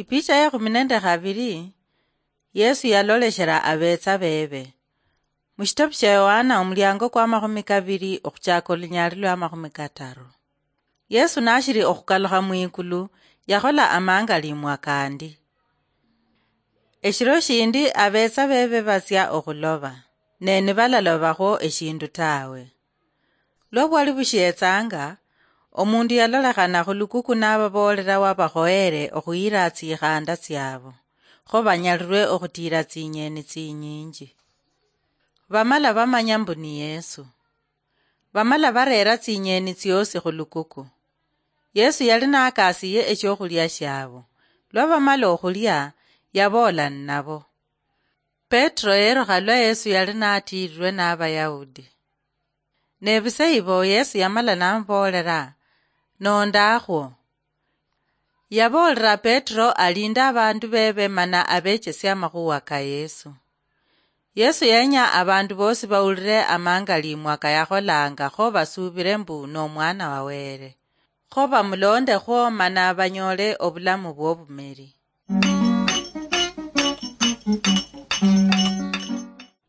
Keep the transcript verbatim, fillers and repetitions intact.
Ipicha ya kumi nende khabiri, Yesu yaloleshera abetsa bebe. Mushitabu shia Yohana omuliango kwa makhumi kabiri okhuchaka olunyali lwa makhumi kataru. Yesu nashiri okhukalukha mwikulu, yakhola amangalimwa kandi. Eshiro shindi abetsa bebe batsia okhuloba, ne nibalalobakho eshindu tawe. Lwa bwali bushietsanga, omundu yalolekhana khulukuku nababoolera wabakhoyere okhuyira tsikhanda tsiabo, kho banyalirwe okhutiira tsinyeni tsinyinji. Bamala bamanya mbu ni Yesu. Bamala bareera tsinyeni tsiosi khulukuku. Yesu yali nakasiye echiokhulia shiabo. Lwa bamala okhulia, yaboola ninabo. Petro yerukha lwa Yesu yali natiirirwe n'Abayahudi. Ne bise ibo Yesu yamala namuboolera, "Nondakhwo." Yaboolera Petro alinde abandu bebe mana abechesie amakhuwa ka Yesu. Yesu yenya abandu bosi bawulire amangalimwa kayakholanga kho basuubire mbu n'omwana wa Wele. Kho bamulondekhwo mana banyoole obulamu bw'obumeri.